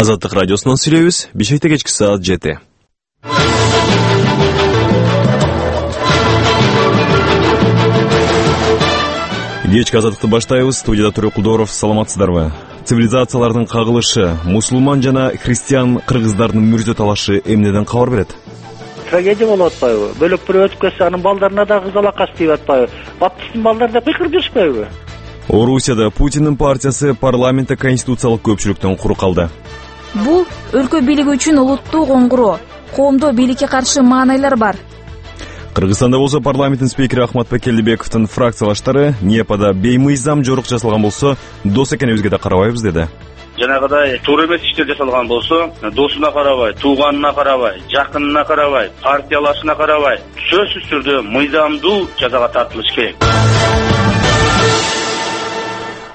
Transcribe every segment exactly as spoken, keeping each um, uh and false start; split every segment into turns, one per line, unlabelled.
Азаттык радиосунан сүйлөйбүз. Бишкекте кечки саат жети. Кечки азаттыкты баштайбыз. Студияда Төрө Кулдоров. Саламатсыздарбы? Цивилизациялардын кагылышы, мусулман жана христиан кыргыздардын мүрзө талашы эмнеден кабар берет?
Трагедия болуп атпайбы? Бөлөк бирөө өтүп кетсе, анын балдарына да кызалакас деп атпайбы? Баптисттин балдары да кыйкырып жүрүшпөйбү?
Орусияда Путиндин партиясы парламентте конституциялык көпчүлүктөн кур калды.
Бул өлкө бийлиги үчүн улуттуу коңгуроо. Коомдо бийликке каршы маанайлар бар.
Кыргызстанда болсо парламенттин спикери Ахматбек Келдибековдун фракциялаштары НИЭПада беймыйзам жорук жасалган болсо, дос экенибизге да карабайбыз деди.
Жанагыдай туура эмес иштер жасалган болсо, досуна карабай, тууганына карабай, жакынына карабай, партиялашына карабай, сөзсүз түрдө мыйзамдуу жазага тартылыш керек.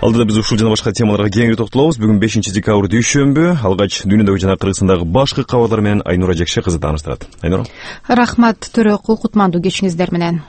Алдыда биз ушул жана башка темаларга кеңири токтолобуз. Бүгүн бешинчи декабрь дүйшөмбү. Алгач дүйнөдөгү жана Кыргызстандагы башкы кабарлар менен Айнура Жекше кызы тааныштырат. Айнура.
Рахмат Төрө, кутмандуу кечиңиздер менен.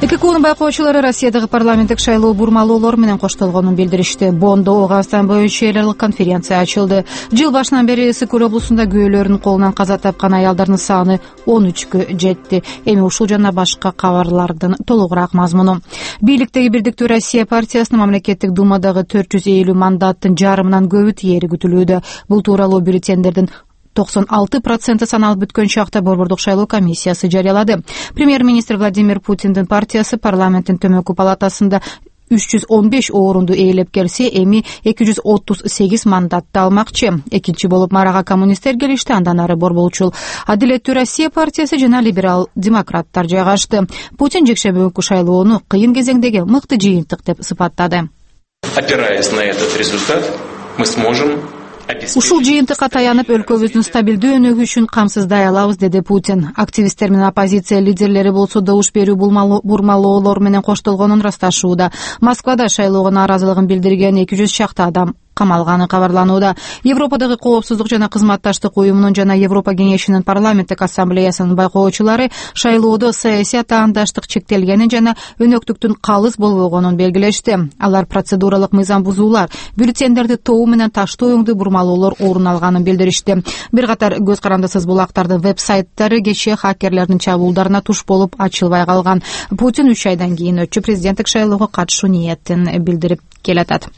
Эки коонун байкоочулары Россиядагы парламенттик шайлоо бурмалоолор менен коштолгонун билдиришти. Бондо Ооганстан боюнча эл аралык конференция ачылды. Жыл башынан бери Ысык көл облусунда күбөлөрдүн колунан каза тапкан аялдардын саны он үчкө жетти. Эми ушул жана башка кабарлардын толугураак мазмуну. Бийликтеги Бирдиктүү Россия партиясынын мамлекеттик думадагы төрт жүз элүү мандаттын жарымынан көбү тиери күтүлүүдө. Бул тууралуу бюллетендердин токсон алты проценти саналып бүткөн чакта Борбордук шайлоо комиссиясы жарыялады. Премьер-министр Владимир Путиндин партиясы парламенттин төмөнкү палатасында үч жүз он беш орунду ээлеп келсе, эми эки жүз отуз сегиз мандатты алмакчы. Экинчи болуп Марага коммунисттер келишти, андан ары Борборчул Адилеттүү Россия партиясы жана либерал демократтар жайгашты. Путин жекшемби күнкү шайлоону кыйын кезеңдеги мыкты жыйынтык деп сыпаттады.
Опираясь на этот результат, мы сможем
Ушул жыйынтыкка таянып, өлкөбүздүн стабилдүү өнүгүшүн үчүн камсыздай алабыз, деди Путин. Активисттер менен оппозиция лидерлери болсо добуш берүү бурмалоолор менен коштолгонун ырасташууда. Москвада шайлоого нааразылыгын билдирген эки жүз чакты адам камалганы кабарланууда. Европадагы коопсуздук жана кызматташтык уюмунун жана Европа кеңешинин парламенттик ассамблеясынын байкоочулары шайлоодо саясий атаандаштык чектелгенин жана өнөктүктүн калыс болбогонун белгилешти. Алар процедуралык мыйзам бузуулар, бюллетендерди тоо менен таштоо өңдүү бурмалоолор орун алганын билдиришти. Бир катар көз карандысыз булактардын веб-сайттары кечээ хакерлердин чабуулдарына туш болуп ачылбай калган. Путин үч айдан кийин өтчү президенттик шайлоого катышуу ниетин билдирип келатат.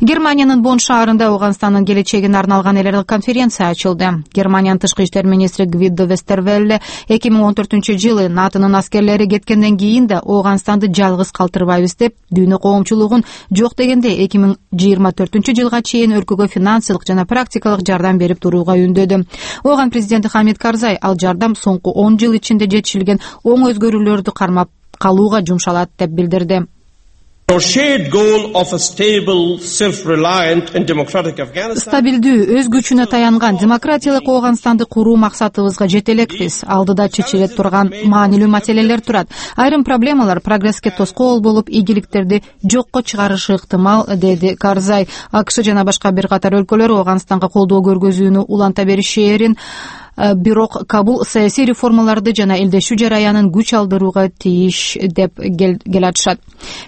Германиянын Бонн шаарында Ооганстандын келечегине арналган эл аралык конференция ачылды. Германиянын тышкы иштер министри Гвидо Вестервелле эки миң он төртүнчү жылы НАТОнун аскерлери кеткенден кийин да Ооганстанды жалгыз калтырбайбыз деп, дүйнө коомчулугун жок дегенде эки миң жыйырма төртүнчү жылга чейин өлкөгө финансылык жана практикалык жардам берип турууга үндөдү. Ооган президенти Хамид Карзай ал жардам соңку он жыл ичинде жетишилген оң өзгөрүүлөрдү кармап калууга жумшалат деп билдирди. Стабилдүү, өз күчүнө таянган демократиялык Ооганстанды куруу максатыбызга жете элекпиз. Алдыда чечилет турган маанилүү маселелер турат. Айрым проблемалар прогресске тоскоол болуп, ийгиликтерди жокко чыгарышы ыктымал, деди Карзай. АКШ жана башка бир катар өлкөлөр Ооганстанга колдоо көргөзүүнү уланта беришээрин, бирок Кабул саясий реформаларды жана элдешүү жараянын күч алдырууга тийиш деп келатышат.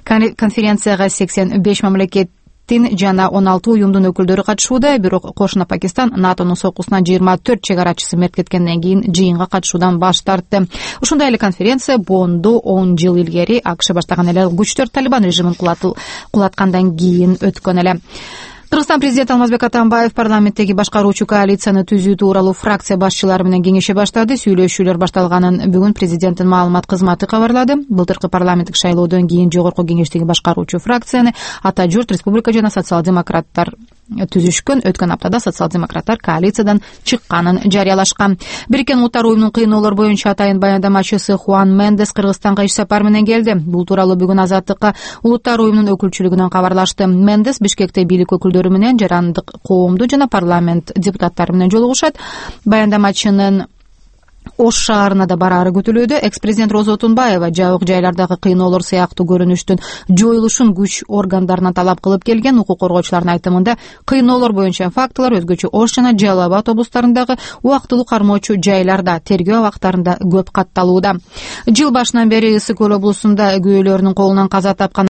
Конференцияга сексен беш мамлекеттин жана он алты уюмдун өкүлдөрү катышууда, бирок кошуна Пакистан НАТОнун сокусунан жыйырма төрт чегарачысы мерт кеткенден кийин жыйынга катышуудан баш тартты. Ушундай эле конференция Бондо он жыл илгери АКШ баштаган эле күчтөр Талибан режимин кулаткандан кийин өткөн эле. Кыргызстан президенти Алмазбек Атамбаев парламенттеги башкаруучу коалицияны түзүү тууралуу фракция башчылары менен кеңеше баштады. Сүйлөшүүлөр башталганын бүгүн президенттин маалымат кызматы кабарлады. Былтыркы парламенттик шайлоодон кийин жогорку кеңештеги башкаруучу фракцияны Ата журт, Республика жана социал-демократтар түзүшкөн. Өткөн аптада социал-демократтар коалициядан чыкканын жарыялашкан. Бириккен Улуттар уюмунун кыйноолор боюнча атайын баяндамачысы Хуан Мендес Кыргызстанга иш сапар менен келди. Бул тууралуу бүгүн Азаттыкка Улуттар уюмунун өкүлчүлүгүнөн кабарлашты. Мендес Бишкекте бийлик өкүлдөрү менен, жарандык коомду жана парламент депутаттары менен жолугушат. Баяндамачынын Ош шаарына да бараары күтүлүүдө. Экс-президент Роза Отунбаева жабык жайлардагы кыйноолор сыяктуу көрүнүштүн жоюлушун күч органдарынан талап кылып келген. Укук коргоочулардын айтымында кыйноолор боюнча фактылар өзгөчө Ош жана Жалал Абад облустарындагы убактылуу кармоочу жайларда, тергөө абактарында көп катталууда. Жыл башынан бери Ысык көл облусунда күбөлөрдүн колунан каза тапкан